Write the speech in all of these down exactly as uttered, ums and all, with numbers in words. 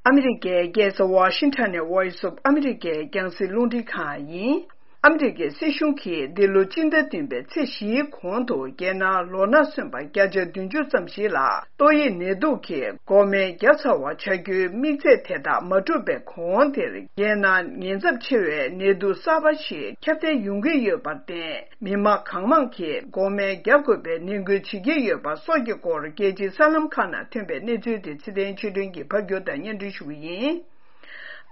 ཨ་མི་རི་ཀའི་རྒྱལ་ས་ཝ་ཤིང་ཊོན་ནས་Voice of America་རྒྱང་སྲིང་རླུང་འཕྲིན་ཁང་ཡིན། ཨ་མི་རི་ཀའི་སྲིད་གཞུང་གིས་འདི་ལོ་སྤྱི་ཟླ་བདུན་པའི་ཚེས་བཞིའི་གོང་དུ་རྒྱལ་ནང་ལོ་ན་སོན་པ་བརྒྱ་ཆ་བདུན་ཅུ་ཙམ་ཞིག་ལ་ཏོག་དབྱིབས་ནད་དུག་གིས་འགོག་སྨན་བརྒྱབ་ཚར་བ་ཆགས་རྒྱུའི་དམིགས་ཚད་དེ་དག་མ་གྲུབ་པའི་གོང་དེར། རྒྱལ་ནང་ཉེན་ཚབས་ཆེ་བའི་ནད་དུག་གསར་པ་ཞིག་ཁྱབ་གདལ་ཡོང་གི་ཡོད་པར་བརྟེན། མི་མང་གང་མང་གིས་འགོག་སྨན་བརྒྱབ་དགོས་པའི་ནན་སྐུལ་བྱེད་ཀྱི་ཡོད་པ་སོགས་ཀྱི་སྐོར། རྒྱལ་སྤྱིའི་གསར་ལམ་ཁག་ནང་ཐོན་པའི་གནས་ཚུལ་དེ་ཚེ་བརྟན་ཆོས་སྒྲོན་གྱིས་ཕབ་སྒྱུར་དང་སྙན་སྒྲོན་ཞུ་གི་ཡིན།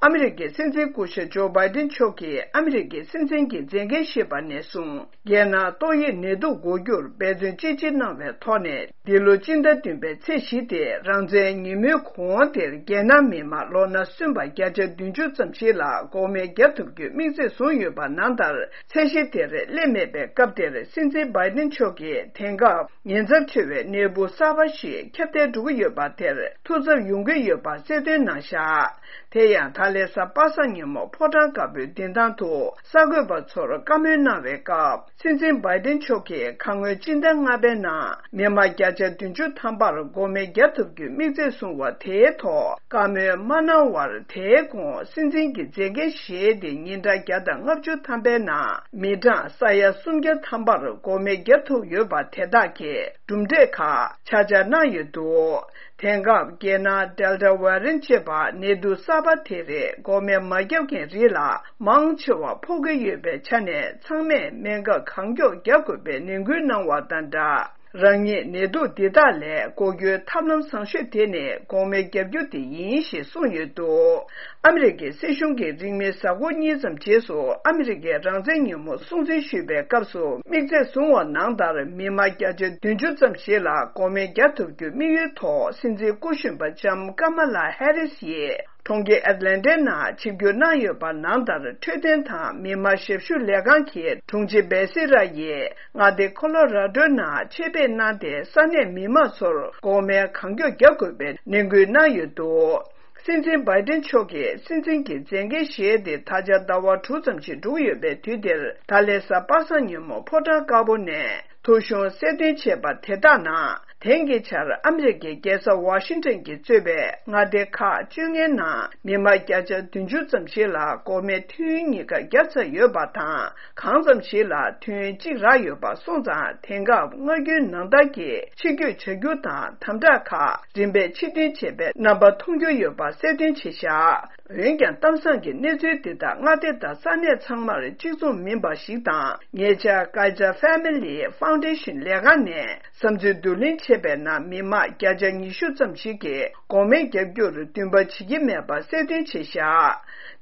ཨ་མི་རི་ཀའི་སྲིད་འཛིན་སྐུ་ཞབས་ཇོ་བྷའི་ཏིན་མཆོག་གིས་ཨ་མི་རི་ཀའི་སྲིད་འཛིན་གྱི་མཛད་འགན་བཞེས་པ་ནས་བཟུང་། རྒྱལ་ནང་ཏོག་དབྱིབས་ནད་དུག་འགོག་རྒྱུར་འབད་བརྩོན་ཅི་ཆེ་གནང་བའི་ཐོག་ནས། འདི་ལོ་སྤྱི་ཟླ་བདུན་པའི་ཚེས་བཞི་སྟེ་རང་བཙན་ཉིན་མོའི་གོང་དེར། རྒྱལ་ནང་མི་མང་ལོ་ན་སོན་པ་བརྒྱ་ཆ་བདུན་ཅུ་ཙམ་ཞིག་ལ་འགོག་སྨན་བརྒྱབ་ཐུབ་རྒྱུའི་དམིགས་ཚད་བཟུང་ཡོད་པ་ནང་ལྟར། ཚད་གཞི་དེར་སླེབས་མེད་པའི་སྐབས་དེར། སྲིད་འཛིན་བྷའི་ཏིན་མཆོག་གིས་དེང་སྐབས་ཉེན་ཚབས་ཆེ་བའི་ནད་འབུ་གསར་པ་ཞིག་ཁྱབ་གདལ་འགྲོ་གི་ཡོད་པ་དེར་ཐུགས་འཚབ་ཡོང་གི་ཡོད་པ་གསལ་སྟོན་གནང་བཞག་དེ་ཡང་ད་ལན་གཟའ་པ་སངས་ཉིན་མོ་ཕོ་བྲང་དཀར་པོའི་མདུན་ཐང་དུ་གསར་འགོད་པ་ཚོར་བཀའ་མོལ་གནང་བའི་སྐབས། སྲིད་འཛིན་བྷའི་ཏིན་མཆོག་གིས་ཁ་སྔོན་སྤྱི་ཟླ་ལྔ་པའི་ནང་མི་མང་བརྒྱ་ཆ་བདུན་ཅུ་ཐམ་པར་འགོག་སྨན་བརྒྱབ་ཐུབ་རྒྱུའི་དམིགས་ཚད་བཟུང་བ་དེའི་ཐོག་བཀའ་མོལ་མ་གནང་བར། དེའི་གོང་སྲིད་འཛིན་གྱི་མཛད་འགན་བཞེས་ཏེ་ཉིན་གྲངས་བརྒྱ་དང་ལྔ་བཅུ་ཐམ་པའི་ནང་མི་གྲངས་ས་ཡ་སུམ་བརྒྱ་ཐམ་པར་འགོག་སྨན་བརྒྱབ་ཐུབ་ཡོད་པ་དེ་དག་གི་གྲུབ་འབྲས་ཁག་ཆ་འཇོག་གནང་ཡོད་འདུག་དེང་སྐབས་རྒྱལ་ནང་Delta Variant་ཅེས་པ་ནད་དུག་གསར་པ་དེ་རིགས་འགོག་སྨན་མ་བརྒྱབ་མཁན་རིགས་ལ་མང་ཆེ་བ་ཕོག་གི་ཡོད་པའི་ཆ་ནས། ཚང་མས་སྨན་ཁབ་གང་མགྱོགས་བརྒྱབ་དགོས་པའི་ནན་སྐུལ་གནང་བ་དང་སྦྲགས། རང་ཉིད་ནད་དུག་འདི་དག་ལས་འགོག་རྒྱུའི་ཐབས་ལམ་བཟང་ཤོས་དེ་ནི་འགོག་སྨན་བརྒྱབ་རྒྱུ་དེ་ཡིན་ཞེས་གསུངས་ཡོད་འདུག་ཨ་མི་རི་ཀའི་སྲིད་གཞུང་གིས་རིང་མིན་གཟའ་འཁོར་གཉིས་ཙམ་རྗེས་སུ། ཨ་མི་རི་ཀའི་རང་བཙན་ཉིན་མོ་སྲུང་བརྩི་ཞུས་པའི་སྐབས་སུ། དམིགས་ཚད་བཟུང་བ་ནང་ལྟར་མི་མང་བརྒྱ་ཆ་བདུན་ཅུ་ཙམ་ཞིག་ལ་འགོག་སྨན་བརྒྱབ་ཐུབ་རྒྱུའི་དམིགས་ཡུལ་ཐོག་སྲིད་འཛིན་སྐུ་གཞོན་པ་ལྕམ་ཀ་མ་ལ་ཧེ་རིས་ཡིས་གྲོང་ཁྱེར་ཨེ་ཏི་ལན་ཊའི་ནང་ཆིབས་བསྒྱུར་གནང་ཡོད་པ་ནང་ལྟར། འཕྲོད་བསྟེན་དང་མི་མང་ཞབས་ཞུ་ལས་ཁང་གི་དྲུང་ཆེ་བེ་སི་ར་ཡིས་མངའ་སྡེ་ཁོ་ལོ་ར་ཌོའི་ནང་ཆེད་ཕེབས་གནང་སྟེ། ས་གནས་མི་མང་ཚོར་འགོག་སྨན་གང་མགྱོགས་བརྒྱབ་དགོས་པའི་ནན་སྐུལ་གནང་ཡོད་འདུག་སྲིད་འཛིན་བྷའི་ཏིན་མཆོག་གིས་སྲིད་འཛིན་གྱི་མཛད་འགན་བཞེས་ཏེ་ད་ཆ་ཟླ་བ་དྲུག་ཙམ་ཞིག་འགྲོ་གི་ཡོད་པའི་དུས་འདིར། ད་ལན་གཟའ་པ་སངས་ཉིན་མོ་ཕོ་བྲང་དཀར་པོ་ནས་ཐོ་གཞུང་གསལ་སྟོན་བྱས་པ་དེ་དག་ནང་། དེང་གི་ཆར་ཨ་མི་རི་ཀའི་རྒྱལ་ས་ཝ་ཤིང་ཊོན་གྱིས་གཙོས་པའི་མངའ་སྡེ་ཁག་བཅོ་ལྔའི་ནང་མི་མང་བརྒྱ་ཆ་བདུན་ཅུ་ཙམ་ཞིག་ལ་འགོག་སྨན་ཐུན་གཉིས་ཀ་བརྒྱབ་ཚར་ཡོད་པ་དང་། གང་ཙམ་ཞིག་ལ་ཐུན་གཅིག་རག་ཡོད་པ་སོང་ཙང་། དེང་སྐབས་སྔར་རྒྱུན་ནང་ལྟར་གྱི་ཕྱི་སྐྱོད་བྱ་རྒྱུ་དང་དམ་དྲག་ཁག་རིམ་པས་ཕྱིར་འཐེན་བྱེད་པའི་རྣམ་པ་མཐོང་རྒྱུ་ཡོད་པ་གསལ་སྟོན་བྱས་བཞག་འོན་ཀྱང་། གཏམ་བཟང་གི་གནས་ཚུལ་འདི་དག་མངའ་སྡེ་དང་ས་གནས་ཚང་མར་གཅིག་མཚུངས་མིན་པ་ཞིག་དང་། ཉེ་ཆར་Kaiser Family Foundation་ལས་ཁང་ནས་བསམ་ཚུལ་བསྡུ་ལེན་བྱས་པའི་ནང་། མི་མང་བརྒྱ་ཆ་ཉི་ཤུ་ཙམ་ཞིག་གིས་འགོག་སྨན་བརྒྱབ་རྒྱུར་འདུན་པ་བྱེད་ཀྱི་མེད་པ་གསལ་སྟོན་བྱས་བཞག་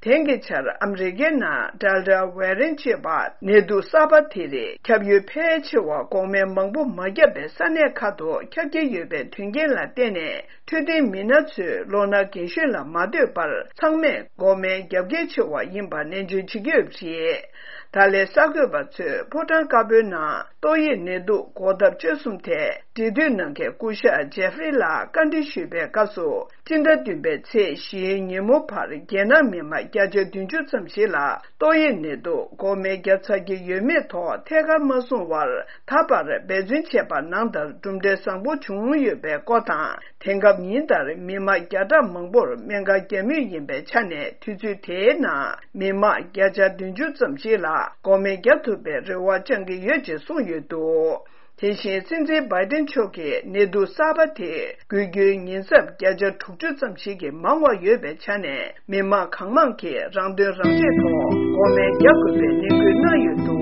དེང་གི་ཆར་ཨ་མི་རི་ཀའི་ནང་Delta Variant་ཅེས་པ་ནད་དུག་གསར་པ་དེ་རིགས་ཁྱབ་ཡུལ་ཕལ་ཆེ་བ་འགོག་སྨན་མང་པོ་མ་བརྒྱབ་པའི་ས་གནས་ཁག་ཏུ་ཁྱབ་ཀྱི་ཡོད་པའི་དོན་རྐྱེན་ལ་བརྟེན་ནས། འཕྲོད་བསྟེན་མི་སྣ་ཚོས་ལོ་ན་རྒན་གཞོན་ལ་མ་ལྟོས་པར་ཚང་མས་འགོག་སྨན་རྒྱབ་གལ་ཆེ་བ་ཡིན་པ་ནན་བརྗོད་བྱེད་ཀྱི་ཡོད་པ་རེད། ད་ལན་གསར་འགོད་པ་ཚོས་ཕོ་བྲང་དཀར་པོའི་ནང་ཏོག་དབྱིབས་ནད་དུག་འགོག་ཐབས་དཔྱད་གསུམ་ཐད་འབྲེལ་མཐུད་གནང་མཁན་སྐུ་ཞབས་ཇེ་ཧྥི་རི་ལ་བཀའ་འདྲི་ཞུས་པའི་སྐབས་སུ། སྤྱི་ཟླ་བདུན་པའི་ཚེས་བཞིའི་ཉིན་མོ་བར་རྒྱལ་ནང་མི་མང་བརྒྱ་ཆ་བདུན་ཅུ་ཙམ་ཞིག་ལ་ཏོག་དབྱིབས་ནད་དུག་འགོག་སྨན་བརྒྱབ་ཚར་གྱི་ཡོད་མེད་ཐོག་ཐད་ཀར་མ་གསུངས་བར། ད་བར་འབད་བརྩོན་བྱས་པ་ནང་ལྟར་གྲུབ་འབྲས་བཟང་པོ་བྱུང་ཡོད་པའི་སྐོར་དང་། དེང་སྐབས་ཉིན་ལྟར་མི་མང་བརྒྱ་ཕྲག་མང་པོར་སྨན་ཁབ་བརྒྱབ་མུས་ཡིན་པའི་ཆ་ནས། དུས་ཚོད་དེའི་ནང་མི་མང་བརྒྱ་ཆ་བདུན་ཅུ་ཙམ་ཞིག་ལ་འགོག་སྨན་བརྒྱབ་ཐུབ་པའི་རེ་བ་བཅང་གི་ཡོད་ཅེས་གསུངས་ཡོད་འདུག་དེ་བཞིན་སྲིད་འཛིན་བྷའི་ཏིན་མཆོག་གིས་ནད་དུག་གསར་པ་དེ་འགོས་རྒྱུའི་ཉེན་ཚབས་བརྒྱ་ཆ་དྲུག་ཅུ་ཙམ་ཞིག་གིས་མང་བ་ཡོད་པའི་ཆ་ནས། མི་མང་གང་མང་གིས་རང་དོན་རང་གཅེས་ཐོག་འགོག་སྨན་རྒྱག་དགོས་པའི་ནན་སྐུལ་གནང་ཡོད་འདུག